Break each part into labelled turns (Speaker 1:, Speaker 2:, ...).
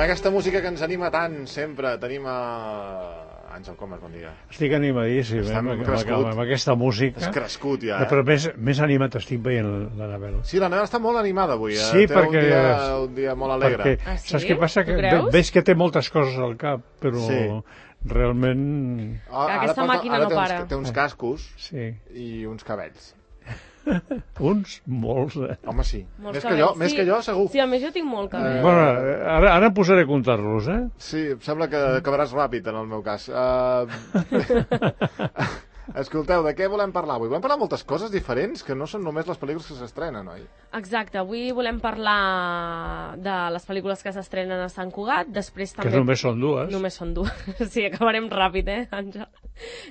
Speaker 1: amb aquesta música que ens anima tant, sempre. Tenim a Àngel Comas, bon dia.
Speaker 2: Estic animadíssim, amb aquesta música.
Speaker 1: És crescut, ja,
Speaker 2: Però més animat estic veient l'Anabel.
Speaker 1: Sí, l'Anabel està molt animada avui.
Speaker 2: Sí,
Speaker 1: té
Speaker 2: perquè...
Speaker 1: un dia molt alegre.
Speaker 2: Perquè, saps què passa? Que veig que té moltes coses al cap, però realment...
Speaker 3: Aquesta màquina no para.
Speaker 1: Té uns cascos i uns cabells.
Speaker 2: Uns? Molts,
Speaker 1: Home, sí. Més que jo, segur.
Speaker 3: Sí, a més jo tinc molt cabell.
Speaker 2: Bueno, ara posaré a comptar-los,
Speaker 1: Sí, em sembla que acabaràs ràpid, en el meu cas. Escolteu, de què volem parlar avui? Volem parlar de moltes coses diferents, que no són només les pel·lícules que s'estrenen, oi?
Speaker 3: Exacte, avui volem parlar de les pel·lícules que s'estrenen a Sant Cugat, després també...
Speaker 2: Que només són dues.
Speaker 3: Només són dues, sí, acabarem ràpid, Àngel?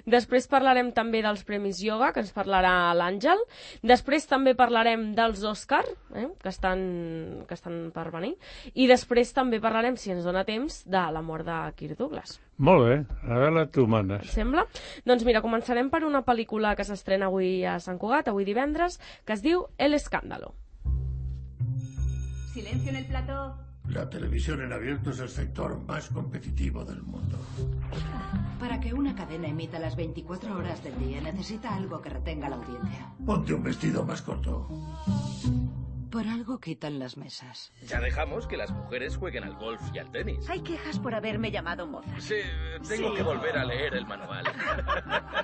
Speaker 3: Després parlarem també dels Premis Yoga, que ens parlarà l'Àngel. Després també parlarem dels Òscar, que estan per venir. I després també parlarem, si ens dona temps, de la mort de Kirk Douglas.
Speaker 2: Molt bé, a veure, tu manes.
Speaker 3: Et sembla? Doncs mira, començarem per una pel·lícula que s'estrena avui a Sant Cugat, avui divendres, que es diu El Escándalo.
Speaker 4: Silencio en el plató.
Speaker 5: La televisión en abierto es el sector más competitivo del mundo.
Speaker 4: Para que una cadena emita las 24 horas del día necesita algo que retenga la audiencia.
Speaker 5: Ponte un vestido más corto.
Speaker 4: Por algo quitan las mesas.
Speaker 6: Ya dejamos que las mujeres jueguen al golf y al tenis.
Speaker 7: Hay quejas por haberme llamado moza.
Speaker 6: Sí, tengo que volver a leer el manual.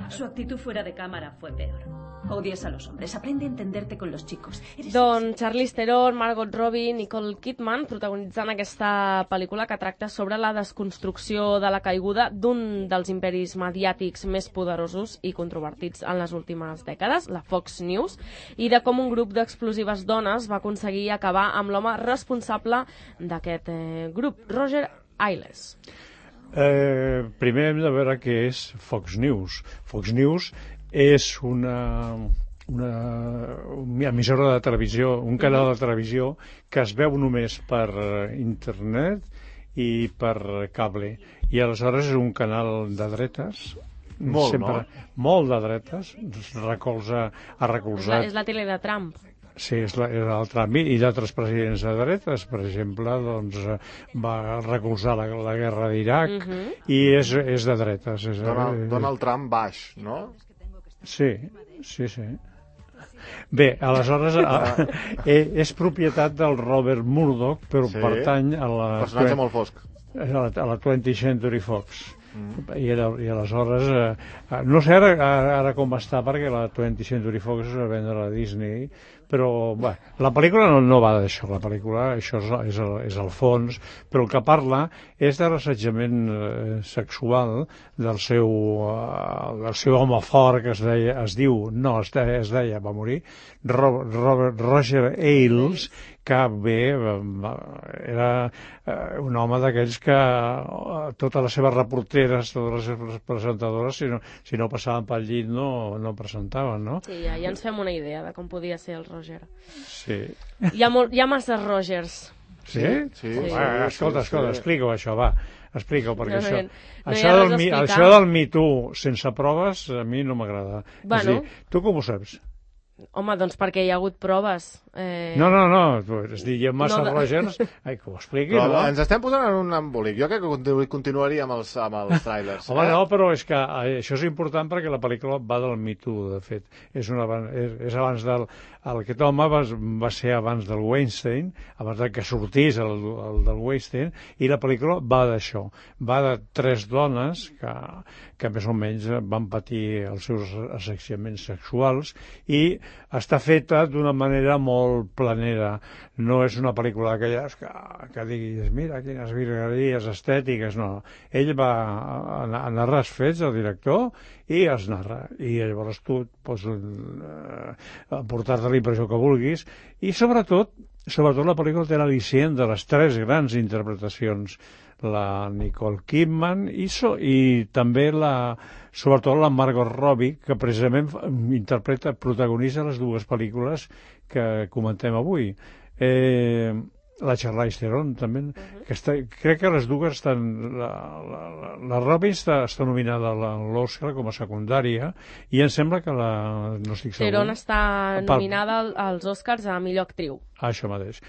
Speaker 7: Su actitud fuera de cámara fue peor. Odias a los hombres, aprende a entenderte con los chicos.
Speaker 3: Doncs Charlize Theron, Margot Robbie, Nicole Kidman protagonitzant aquesta pel·lícula que tracta sobre la desconstrucció de la caiguda d'un dels imperis mediàtics més poderosos i controvertits en les últimes dècades, la Fox News, i de com un grup d'explosives dones va aconseguir acabar amb l'home responsable d'aquest grup, Roger Ailes.
Speaker 2: Primer hem de veure què és Fox News. Fox News és una emissora de televisió, un canal de televisió que es veu només per internet i per cable. I aleshores és un canal de dretes.
Speaker 1: Molt, no?
Speaker 2: Molt de dretes. Ha recolzat...
Speaker 3: És la tele de Trump.
Speaker 2: Sí, és el Trump i d'altres presidents de dretes, per exemple, doncs, va recolzar la guerra d'Iraq i és de dretes.
Speaker 1: Donald Trump baix, no?
Speaker 2: Sí. Bé, aleshores és propietat del Robert Murdoch, però pertany a la...
Speaker 1: Personatge molt fosc.
Speaker 2: A la 20th Century Fox. I aleshores no sé ara com està, perquè la 20th Century Fox es va vendre a Disney, però la pel·lícula no va d'això, la pel·lícula això és el fons, però el que parla és de l'assetjament sexual del seu home fort, que es deia, va morir, Roger Ailes, que era un home d'aquells que totes les seves reporteres, totes les seves presentadores, si no passaven pel llit no presentaven, no?
Speaker 3: Sí, ja ens fem una idea de com podia ser el Roger.
Speaker 2: Sí.
Speaker 3: Hi ha massa Rogers.
Speaker 2: Sí?
Speaker 1: Sí.
Speaker 2: Escolta, explica-ho això, va. Explica-ho, perquè
Speaker 3: això
Speaker 2: del Me Too sense proves a mi no m'agrada.
Speaker 3: Bueno.
Speaker 2: Tu com ho saps?
Speaker 3: Home, doncs perquè hi ha hagut proves.
Speaker 2: No, és dir, hi ha massa Rogers, que ho expliqui,
Speaker 1: no?
Speaker 2: No?
Speaker 1: Ens estem posant en un embolic. Jo crec que continuaria amb els trailers.
Speaker 2: Home, no, però és que això és important perquè la pel·lícula va del Me Too, de fet. És abans del... Aquest home va ser abans del Weinstein, abans que sortís el del Weinstein, i la pel·lícula va d'això. Va de 3 dones que més o menys van patir els seus assetjaments sexuals i està feta d'una manera molt planera. No és una pel·lícula d'aquelles que diguis, mira, quines virgueries estètiques, no. Ell va a narrar els fets, el director, i es narra. I llavors tu pots portar-te la impressió que vulguis. I sobretot la pel·lícula té l'al·licient de les 3 grans interpretacions. La Nicole Kidman i també sobretot la Margot Robbie, que precisament protagonitza les 2 pel·lícules que comentem avui. La Charlize Theron també, crec que les 2 estan... La Robbie està nominada a l'Oscar com a secundària i em sembla que no estic segur...
Speaker 3: Theron està nominada als Oscars a millor actriu.
Speaker 2: Això mateix.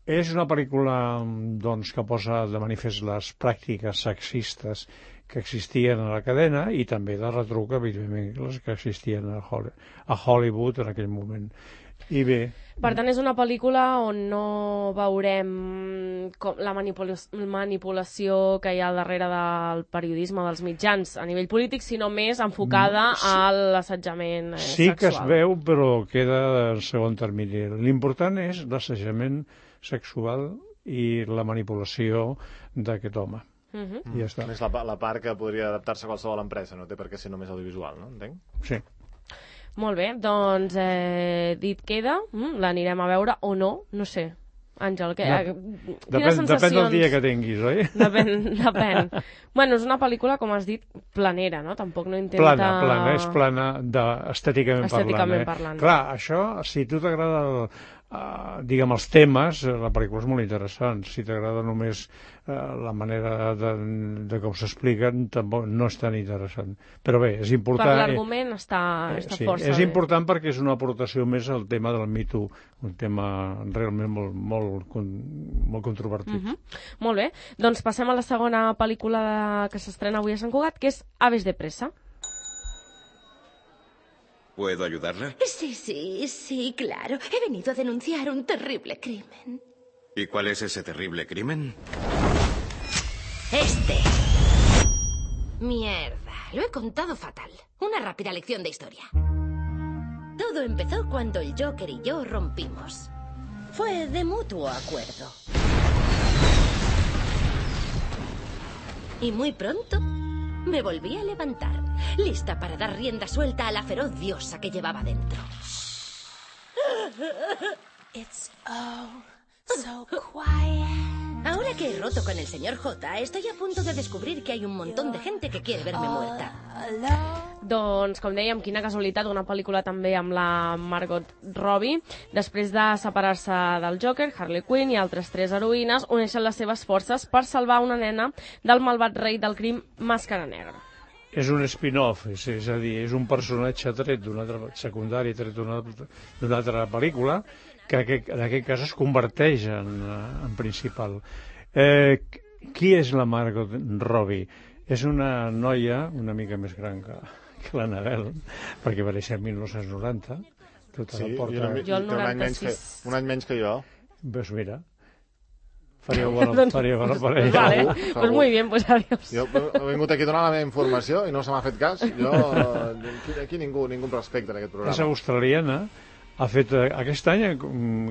Speaker 2: És una pel·lícula doncs, que posa de manifest les pràctiques sexistes que existien a la cadena i també de retruc, evidentment, les que existien a Hollywood en aquell moment. I bé...
Speaker 3: Per tant, és una pel·lícula on no veurem la manipulació que hi ha al darrere del periodisme dels mitjans a nivell polític, sinó més enfocada a l'assetjament sexual.
Speaker 2: Sí que es veu, però queda en segon termini. L'important és l'assetjament sexual i la manipulació d'aquest home. I ja està.
Speaker 1: És la part que podria adaptar-se a qualsevol empresa, no té per què ser només audiovisual, no? Entenc?
Speaker 2: Sí.
Speaker 3: Molt bé, doncs dit queda, l'anirem a veure o no, no sé. Àngel, quines sensacions...
Speaker 2: Depèn del dia que tinguis, oi?
Speaker 3: Depèn. Bueno, és una pel·lícula, com has dit, planera, no? Tampoc no intenta...
Speaker 2: Plana, és plana estèticament parlant. Clar, això, si tu t'agrada diguem, els temes, la pel·lícula és molt interessant. Si t'agrada només la manera de com s'expliquen, tampoc no és tan interessant. Però bé, és important...
Speaker 3: Per l'argument està força
Speaker 2: és important perquè és una aportació més al tema del Me Too, un tema realment molt controvertit.
Speaker 3: Molt bé, doncs passem a la segona pel·lícula que s'estrena avui a Sant Cugat, que és Aves de presa.
Speaker 8: ¿Puedo ayudarla?
Speaker 9: Sí, claro. He venido a denunciar un terrible crimen.
Speaker 8: ¿Y cuál es ese terrible crimen?
Speaker 9: Mierda, lo he contado fatal. Una rápida lección de historia. Todo empezó cuando el Joker y yo rompimos. Fue de mutuo acuerdo. Y muy pronto me volví a levantar, lista para dar rienda suelta a la feroz diosa que llevaba dentro.
Speaker 10: It's so quiet.
Speaker 9: Ahora que he roto con el señor J, estoy a punto de descobrir que hay un montón de gente que quiere verme muerta.
Speaker 3: Doncs, com dèiem, quina casualitat, una pel·lícula també amb la Margot Robbie. Després de separar-se del Joker, Harley Quinn i altres 3 heroïnes uneixen les seves forces per salvar una nena del malvat rei del crim Màscara Negra.
Speaker 2: És un spin-off, és a dir, és un personatge tret d'un altre secundari, tret d'una altra pel·lícula, que en aquest cas es converteix en principal. Qui és la Margot Robbie? És una noia una mica més gran que l'Annabelle, perquè va néixer en 1990.
Speaker 1: Sí, jo el 96. Un any menys que jo.
Speaker 2: Doncs mira, faria bona parella.
Speaker 3: Vale, pues muy bien, pues adiós.
Speaker 1: Jo he vingut aquí a donar la meva informació i no se m'ha fet cas. Aquí ningú respecta en aquest programa.
Speaker 2: És australiana. Ha fet aquest any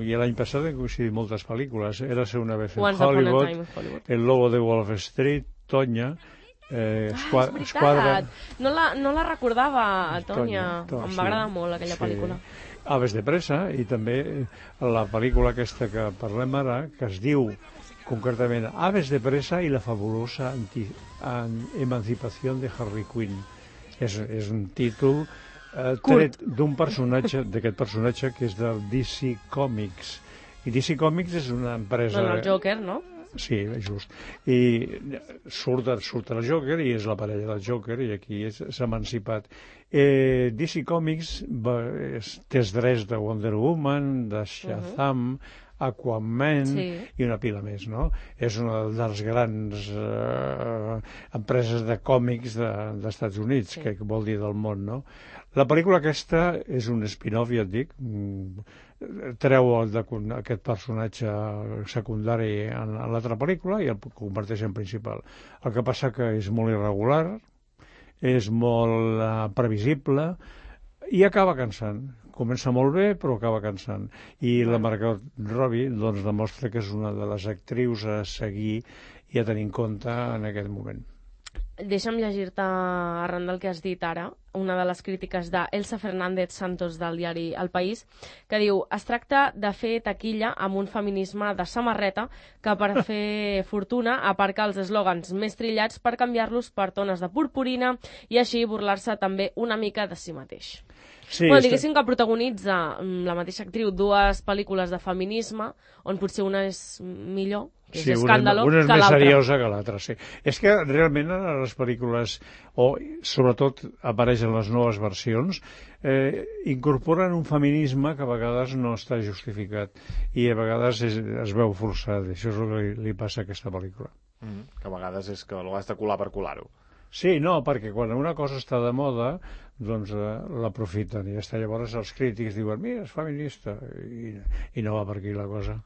Speaker 2: i l'any passat han coincidit moltes pel·lícules. Érase una vez en Hollywood, El lobo de Wall Street, Tonya, Esquadra...
Speaker 3: No la recordava, Tonya. Em va agradar molt aquella pel·lícula.
Speaker 2: Aves de presa, i també la pel·lícula aquesta que parlem ara, que es diu concretament Aves de presa i la fabulosa emancipació de Harley Quinn. És un títol tret d'un personatge, d'aquest personatge que és del DC Comics. I DC Comics és una empresa...
Speaker 3: Bueno, el Joker, no?
Speaker 2: Sí, just. I surt el Joker i és la parella del Joker i aquí s'ha emancipat. DC Comics té els drets de Wonder Woman, de Shazam, Aquaman i una pila més, no? És una de les grans empreses de còmics dels Estats Units, que vol dir del món, no? La pel·lícula aquesta és un spin-off, ja et dic, treu aquest personatge secundari en l'altra pel·lícula i el converteix en principal. El que passa que és molt irregular, és molt previsible i acaba cansant. Comença molt bé, però acaba cansant. I la Margot Robbie doncs, demostra que és una de les actrius a seguir i a tenir en compte en aquest moment.
Speaker 3: Deixa'm llegir-te, arran del que has dit ara, una de les crítiques d'Elsa Fernández Santos del diari El País, que diu: es tracta de fer taquilla amb un feminisme de samarreta que per fer fortuna aparca els eslògans més trillats per canviar-los per tones de purpurina i així burlar-se també una mica de si mateix. Sí, bueno, diguéssim que protagonitza la mateixa actriu 2 pel·lícules de feminisme, on potser una és millor que és
Speaker 2: Sí,
Speaker 3: escàndalo,
Speaker 2: una és
Speaker 3: que
Speaker 2: més
Speaker 3: l'altra.
Speaker 2: seriosa que l'altra, sí. És que realment a les pel·lícules, o sobretot apareix en les noves versions, incorporen un feminisme que a vegades no està justificat i a vegades es veu forçat. Això és el que li passa a aquesta pel·lícula.
Speaker 1: Que a vegades és que l'has de colar per colar-ho.
Speaker 2: Sí, no, perquè quan una cosa està de moda, doncs l'aprofiten i ja està. Llavors els crítics diuen, mira, és feminista, i no va per aquí la cosa.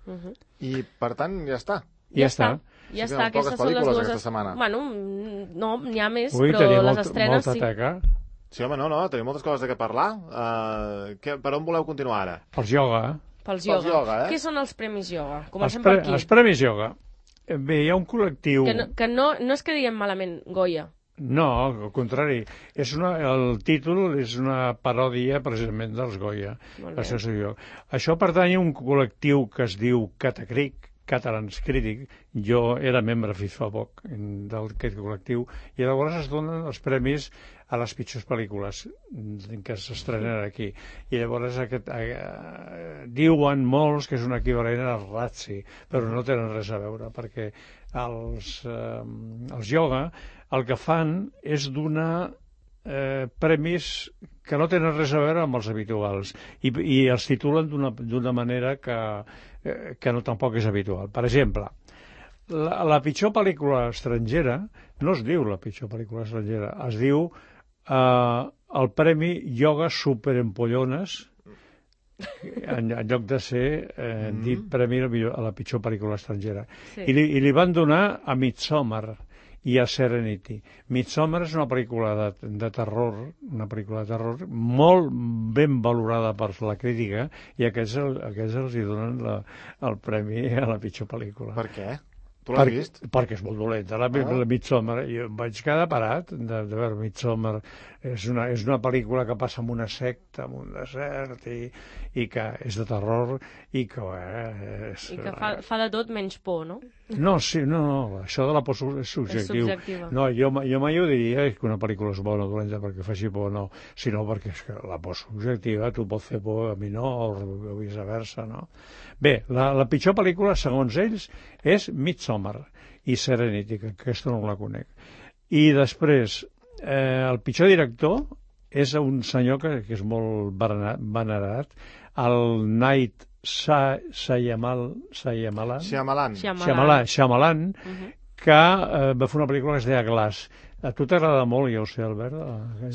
Speaker 1: I, per tant, ja està.
Speaker 2: Ja està.
Speaker 3: Ja
Speaker 1: Sí que
Speaker 3: està,
Speaker 1: poques
Speaker 3: aquestes són les
Speaker 1: pel·lícules
Speaker 3: dues...
Speaker 1: aquesta setmana.
Speaker 3: Bueno, no, n'hi ha més,
Speaker 2: Ui,
Speaker 3: però
Speaker 2: tenia
Speaker 3: les estrenes
Speaker 2: molta
Speaker 3: sí.
Speaker 2: teca.
Speaker 1: Sí, home, no, tenim moltes coses de què parlar. Per on voleu continuar ara?
Speaker 2: Pels ioga.
Speaker 3: Pels
Speaker 1: Pels
Speaker 3: ioga.
Speaker 1: ioga,
Speaker 3: Què són els premis ioga?
Speaker 2: Els,
Speaker 3: Comencem per aquí.
Speaker 2: els premis ioga. Bé, hi ha un col·lectiu...
Speaker 3: Que no és que diguem malament Goya.
Speaker 2: No, al contrari. El títol és una paròdia precisament dels Goya. Això pertany a un col·lectiu que es diu Catacric, Catalans Crític. Jo era membre fins fa poc d'aquest col·lectiu i llavors es donen els premis a les pitjors pel·lícules que s'estrenen aquí. I llavors diuen molts que és un equivalent al Razzie, però no tenen res a veure, perquè els ioga el que fan és donar premis que no tenen res a veure amb els habituals i els titulen d'una manera que no tampoc és habitual. Per exemple, la pitjor pel·lícula estrangera no es diu la pitjor pel·lícula estrangera, es diu el Premi Ioga Superempollones, en lloc de ser dit premi a la pitjor pel·lícula estrangera.
Speaker 3: Sí.
Speaker 2: I li van donar a Midsommar i a Serenity. Midsommar és una pel·lícula de terror, molt ben valorada per la crítica, i aquests els hi donen el premi a la pitjor pel·lícula.
Speaker 1: Per què? Tu l'has vist?
Speaker 2: Perquè és molt dolenta, la Midsommar. Jo em vaig quedar parat de veure Midsommar. És una pel·lícula que passa en una secta, en un desert, i que és de terror, i que...
Speaker 3: I que fa de tot menys por, no?
Speaker 2: No, això de la por és subjectiu.
Speaker 3: És subjectiva.
Speaker 2: No, jo mai ho diria que una pel·lícula és bona o dolenta perquè faci por, no, sinó perquè és que la por subjectiva, tu pots fer por, a mi no, o viceversa, no? Bé, la pitjor pel·lícula, segons ells, és Midsommar i Serenity, que aquesta no la conec. I després, el pitjor director és un senyor que és molt venerat, el Night Shyamalan, que va fer una pel·lícula que es deia Glass. A tu t'agrada molt, ja ho sé, Albert?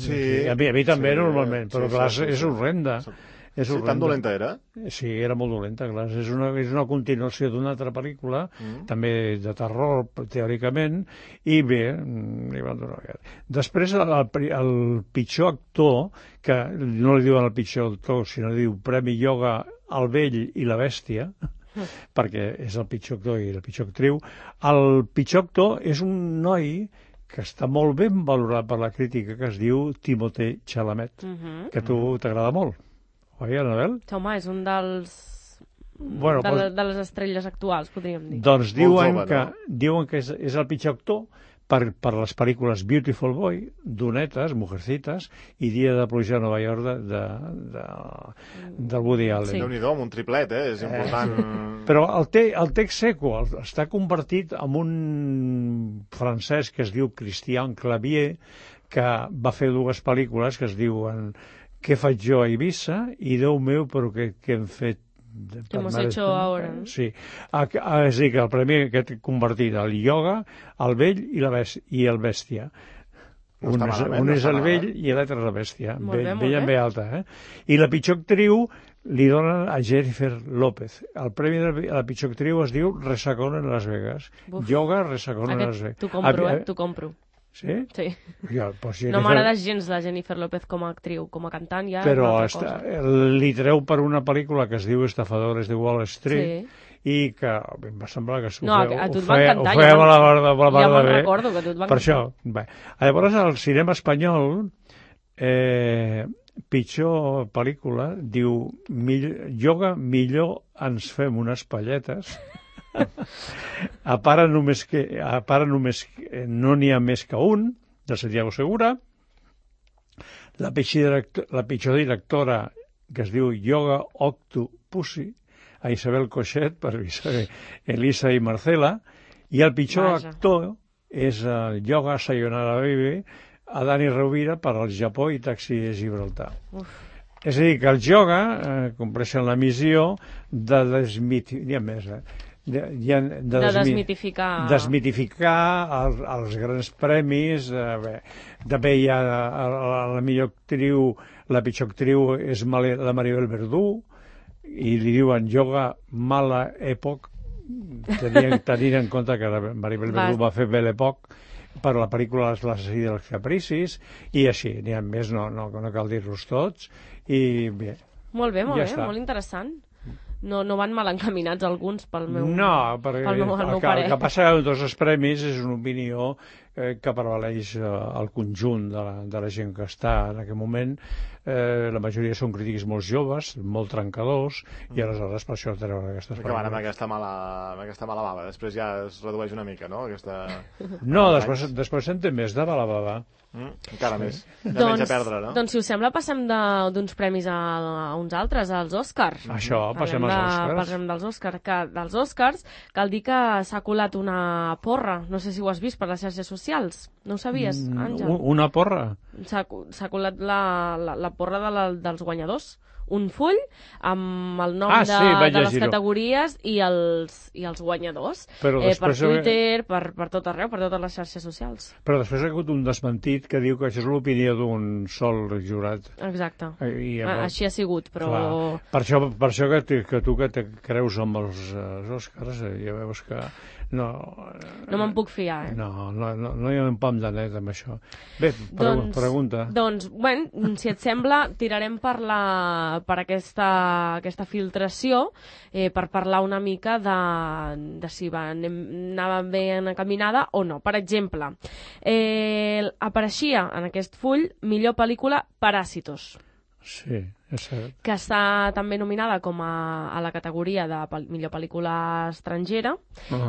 Speaker 1: Sí.
Speaker 2: A mi també, normalment, però Glass és horrenda.
Speaker 1: Sí, tan dolenta era?
Speaker 2: Sí, era molt dolenta, Glass. És una continuació d'una altra pel·lícula, també de terror, teòricament, i bé, li van donar aquest. Després, el pitjor actor, que no li diuen el pitjor actor, sinó li diu Premi Ioga al vell i la bèstia, perquè és el pitjor actor i la pitjor actriu. El pitjor actor és un noi que està molt ben valorat per la crítica, que es diu Timothée Chalamet, que a tu t'agrada molt. Oi, Anabel?
Speaker 3: Home, és un dels... de les estrelles actuals, podríem dir.
Speaker 2: Doncs diuen que és el pitjor actor per les pel·lícules Beautiful Boy, Donetes, Mujercitas, i Dia de pluja a Nova York del Woody Allen.
Speaker 1: Sí. Déu-n'hi-do, amb un triplet, és important.
Speaker 2: Però el text seco està convertit en un francès que es diu Christian Clavier, que va fer dues pel·lícules que es diuen Què faig jo a Eivissa i Déu meu, però què hem fet?
Speaker 3: Què hemos hecho ahora, no?
Speaker 2: Sí. És a dir, que el premi aquest convertit al ioga, al vell i el bèstia. Un és el vell i l'altre és la bèstia. Vell amb B alta, I la pitjor actriu li donen a Jennifer López. El premi a la pitjor actriu es diu Resacón en Las Vegas. Ioga, Resacón en Las Vegas.
Speaker 3: T'ho compro.
Speaker 2: Sí?
Speaker 3: Sí.
Speaker 2: Ja,
Speaker 3: no m'agrada gens la Jennifer López com a actriu, com a cantant ja
Speaker 2: però
Speaker 3: és una altra cosa.
Speaker 2: Li treu per una pel·lícula que es diu Estafadores de Wall Street, i que em va semblar que ho feia a la part de bé.
Speaker 3: Ja me'n recordo que a tu et va encantar.
Speaker 2: Per això. Bé. Llavors, al cinema espanyol, pitjor pel·lícula, diu Ioga, millor ens fem unes palletes. A part només no n'hi ha més que un, de Santiago Segura. La pitjor directora, que es diu Yoga Octopussy, a Isabel Cochet per Elisa i Marcela, i el pitjor actor és el Yoga Sayonara Baby, a Dani Rovira per al Japó i Taxi de Gibraltar. És a dir, que els Yoga compleixen la missió de desmitificar els grans premis. També hi ha la millor actriu, la pitjor actriu és la Maribel Verdú, i li diuen Yoga Mala Època, tenint en compte que la Maribel Verdú va fer Belle Époque per la pel·lícula L'assassí dels capricis, i així, n'hi ha més, no cal dir-los tots, i bé.
Speaker 3: Molt bé, molt interessant. No van mal encaminats alguns pel meu
Speaker 2: perquè el que passa amb tots els premis és una opinió que prevaleix al conjunt de la gent que està en aquest moment. La majoria són crítics molt joves, molt trencadors, i aleshores per això treuen aquestes pel·lícules.
Speaker 1: Que van amb aquesta mala bava, després ja es redueix una mica, no?
Speaker 2: No, després se'n té més de mala bava.
Speaker 1: Encara més, de menys a perdre, no?
Speaker 3: Doncs si us sembla passem d'uns premis a uns altres, als Oscars.
Speaker 2: Això, passem als Oscars.
Speaker 3: Parlem dels Oscars. Dels Oscars cal dir que s'ha colat una porra, no sé si ho has vist per les xarxes socials, no ho sabies, Àngel?
Speaker 2: Una porra?
Speaker 3: S'ha colat la porra dels guanyadors, un full amb el nom de les categories i els guanyadors, per Twitter, per tot arreu, per totes les xarxes socials.
Speaker 2: Però després ha hagut un desmentit que diu que això és l'opinió d'un sol jurat.
Speaker 3: Exacte, així ha sigut, però...
Speaker 2: Clar. Per això que tu que te creus amb els Oscars, ja veus que... No
Speaker 3: me'n puc fiar,
Speaker 2: No hi ha un pam de net amb això. Bé, pregunta.
Speaker 3: Doncs, si et sembla, tirarem per aquesta filtració, per parlar una mica de si anava ben encaminada o no. Per exemple, apareixia en aquest full millor pel·lícula Parásitos.
Speaker 2: Sí, és cert.
Speaker 3: Que està també nominada com a la categoria de millor pel·lícula estrangera.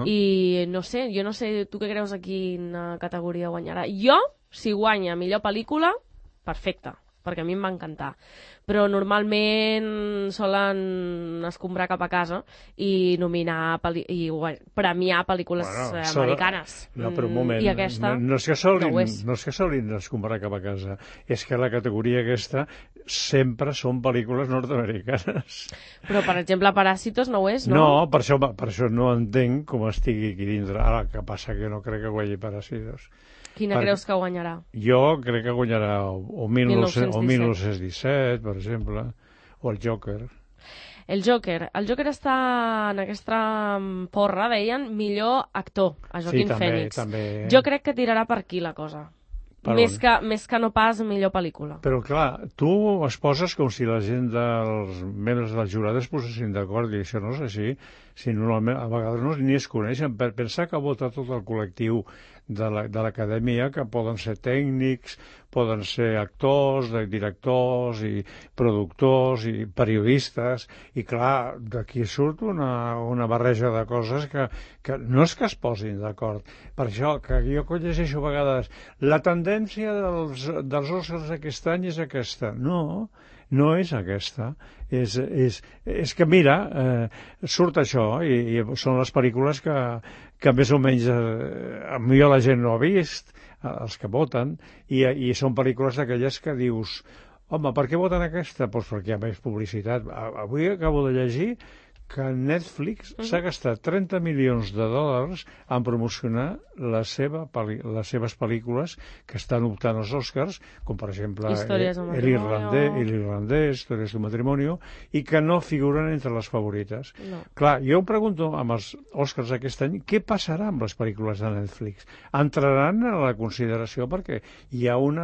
Speaker 3: I jo no sé, tu què creus a quina categoria guanyarà? Jo, si guanya millor pel·lícula, perfecte, perquè a mi em va encantar. Però normalment solen escombrar cap a casa i nominar i premiar pel·lícules americanes.
Speaker 2: No, però un moment,
Speaker 3: i aquesta
Speaker 2: no és que solin escombrar cap a casa, és que la categoria aquesta sempre són pel·lícules nord-americanes.
Speaker 3: Però, per exemple, Parásitos no ho és, no?
Speaker 2: No, per això no entenc com estigui aquí dintre. Ara, que passa que no crec que guanyi Parásitos.
Speaker 3: Quina creus que guanyarà?
Speaker 2: Jo crec que guanyarà o 1917, per exemple, o el Joker.
Speaker 3: El Joker està en aquesta porra, deien, millor actor, a Joaquin Phoenix.
Speaker 2: També.
Speaker 3: Jo crec que tirarà per aquí la cosa. Més que no pas millor pel·lícula.
Speaker 2: Però clar, tu es poses com si la gent dels membres del jurat es posessin d'acord, i això no és així. Si normalment, a vegades ni es coneixen. Per pensar que vota tot el col·lectiu de l'acadèmia, que poden ser tècnics, poden ser actors, directors i productors i periodistes, i clar, d'aquí surt una barreja de coses que no és que es posin d'acord. Per això que jo llegeixo a vegades la tendència dels Oscars d'aquest any és aquesta. No és aquesta. És que, mira, surt això, i són les pel·lícules que més o menys millor la gent no ha vist, els que voten, i són pel·lícules d'aquelles que dius, home, per què voten aquesta? Doncs perquè hi ha més publicitat. Avui acabo de llegir que Netflix s'ha gastat $30 milions en promocionar les seves pel·lícules que estan optant als Oscars, com per exemple l'irlandès, Històries d'un matrimoni, i que no figuren entre les favorites.
Speaker 3: No.
Speaker 2: Clar, jo em pregunto amb els Oscars aquest any, què passarà amb les pel·lícules de Netflix? Entraran a la consideració perquè hi ha un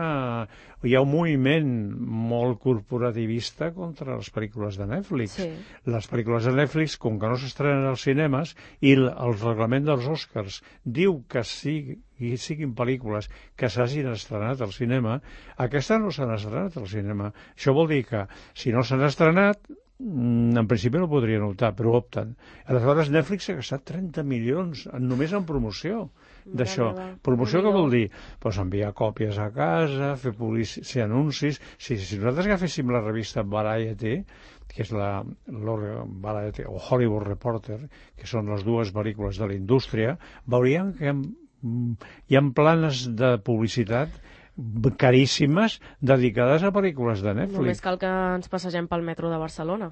Speaker 2: moviment molt corporativista contra les pel·lícules de Netflix.
Speaker 3: Sí.
Speaker 2: Les pel·lícules de Netflix, com que no s'estrenen als cinemes, i el reglament dels Oscars diu que siguin pel·lícules que s'hagin estrenat al cinema, aquestes no s'han estrenat al cinema. Això vol dir que, si no s'han estrenat, en principi no podrien optar, però opten. Aleshores, Netflix ha gastat 30 milions només en promoció. d'això. Promoció què vol dir? Doncs enviar còpies a casa, fer anuncis. Si nosaltres agaféssim la revista Variety, que és la Variety o Hollywood Reporter, que són les dues pel·lícules de la indústria, veuríem que hi ha planes de publicitat caríssimes dedicades a pel·lícules de Netflix.
Speaker 3: Només cal que ens passegem pel metro de Barcelona.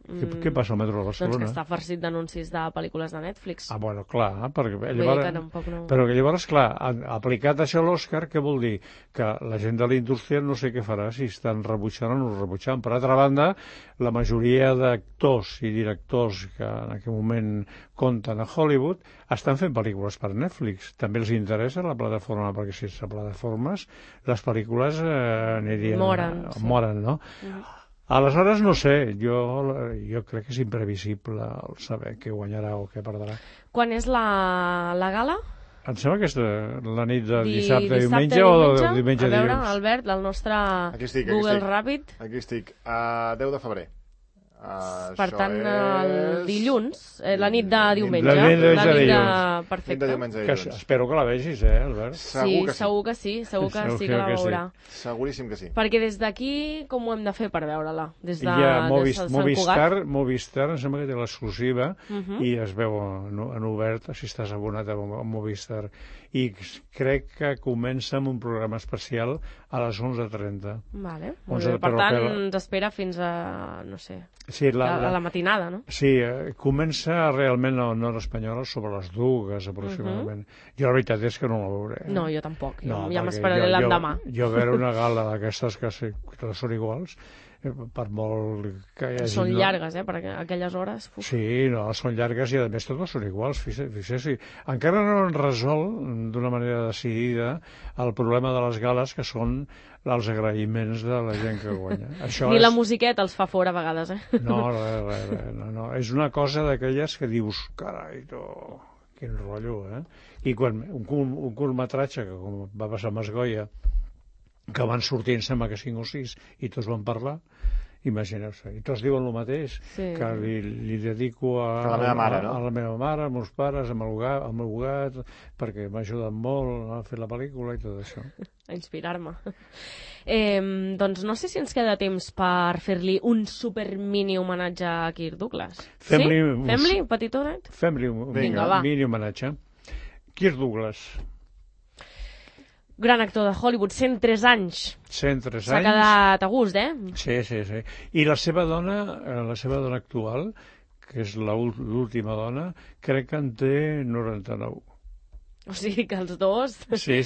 Speaker 2: Què passa al metro de Barcelona?
Speaker 3: Doncs que està farcit d'anuncis de pel·lícules de Netflix.
Speaker 2: Bueno, clar, perquè
Speaker 3: llavors...
Speaker 2: Però que llavors, clar, aplicat això a l'Òscar, què vol dir? Que la gent de la indústria no sé què farà, si estan rebutjant o no rebutjant. Per altra banda, la majoria d'actors i directors que en aquell moment compten a Hollywood estan fent pel·lícules per Netflix. També els interessa la plataforma, perquè si és a plataformes, les pel·lícules anirien... Moren, no? Aleshores, no sé, jo crec que és imprevisible el saber què guanyarà o què perdrà.
Speaker 3: Quan és la gala?
Speaker 2: Em sembla que és la nit de dissabte, diumenge o de diumenge a dilluns.
Speaker 3: A veure, Albert, el nostre Google Ràpid.
Speaker 1: Aquí estic, 10 de febrer.
Speaker 3: Per tant, el dilluns, la nit de diumenge.
Speaker 2: La nit de dilluns.
Speaker 3: Perfecte.
Speaker 2: Espero que la vegis, Albert?
Speaker 3: Sí, segur que sí que la veurà.
Speaker 1: Seguríssim que sí.
Speaker 3: Perquè des d'aquí, com ho hem de fer per veure-la? Des de
Speaker 2: Movistar, em sembla que té l'exclusiva i es veu en obert si estàs abonat a Movistar. I crec que comença amb un programa especial a les 11:30.
Speaker 3: Vale, per tant, ens espera fins a, no sé, a la matinada, no?
Speaker 2: Sí, comença realment a l'hora espanyola sobre les 2 aproximadament. Jo la veritat és que no la veuré.
Speaker 3: No, jo tampoc, ja m'esperaré l'endemà.
Speaker 2: Jo veure una gala d'aquestes que són iguals, per molt que hi hagi...
Speaker 3: Són llargues, per aquelles hores.
Speaker 2: Sí, són llargues i a més totes són iguals, fixeu-s'hi. Encara no han resolt d'una manera decidida el problema de les gales, que són els agraïments de la gent que guanya.
Speaker 3: Ni la musiqueta els fa fora a vegades,
Speaker 2: No, no. És una cosa d'aquelles que dius, carai, quin rotllo, I quan un curtmetratge, que com va passar a Masgoia, que van sortir, em sembla que 5 o 6, i tots van parlar, imagineu-se, i tots diuen el mateix, que li dedico a
Speaker 1: la meva mare, no?
Speaker 2: A la meva mare, als meus pares, al meu gat, perquè m'ha ajudat molt a fer la pel·lícula i tot això.
Speaker 3: A inspirar-me. Doncs no sé si ens queda temps per fer-li un super mini homenatge a Kirk Douglas. Fem-li un petitonet?
Speaker 2: Fem-li un mini homenatge. Kirk Douglas.
Speaker 3: Gran actor de Hollywood, 103 anys.
Speaker 2: 103 anys.
Speaker 3: S'ha quedat a gust,
Speaker 2: Sí. I la seva dona actual, que és l'última dona, crec que en té 99.
Speaker 3: O sigui que els dos...
Speaker 2: Sí.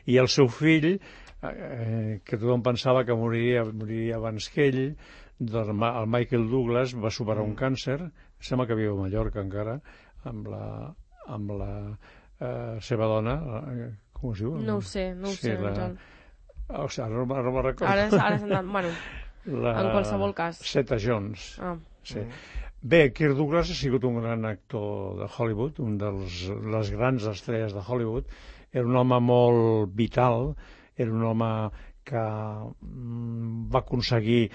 Speaker 2: I el seu fill, que tothom pensava que moriria abans que ell, el Michael Douglas, va superar un càncer, sembla que viu a Mallorca encara, amb la seva dona... Com es diu?
Speaker 3: No ho sé, Joan.
Speaker 2: Ara no me'n recordo.
Speaker 3: Ara s'han anat, bueno, en qualsevol cas.
Speaker 2: Zeta Jones. Sí. Bé, Kirk Douglas ha sigut un gran actor de Hollywood, un de les grans estrelles de Hollywood. Era un home molt vital, era un home que va aconseguir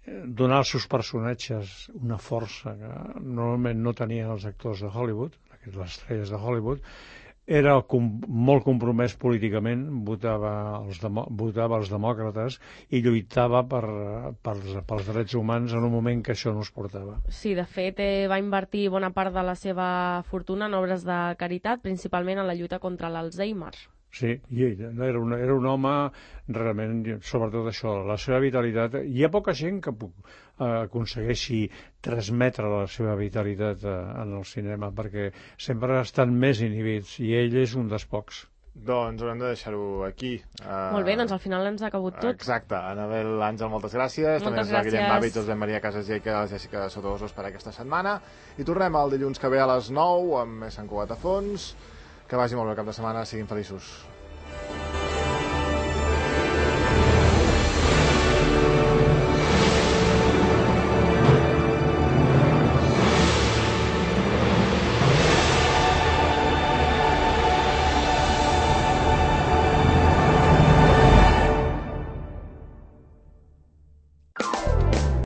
Speaker 2: donar als seus personatges una força que normalment no tenien els actors de Hollywood, les estrelles de Hollywood. Era molt compromès políticament, votava els demòcrates i lluitava pels drets humans en un moment que això no es portava.
Speaker 3: Sí, de fet, va invertir bona part de la seva fortuna en obres de caritat, principalment en la lluita contra l'Alzheimer.
Speaker 2: Sí, i era un home realment, sobretot això, la seva vitalitat. Hi ha poca gent que aconsegueixi transmetre la seva vitalitat en el cinema, perquè sempre estan més inhibits, i ell és un dels pocs.
Speaker 1: Doncs haurem de deixar-ho aquí.
Speaker 3: Molt bé, doncs al final ens ha acabut tot.
Speaker 1: Exacte. Anabel Àngel, moltes gràcies. També a Guillem Bàbits, Josep Maria Casas i la Jèssica Sotosos per aquesta setmana. I tornem el dilluns que ve a les 9 amb més Sant Cugat a fons. Que vagi molt bé el cap de setmana, siguin feliços.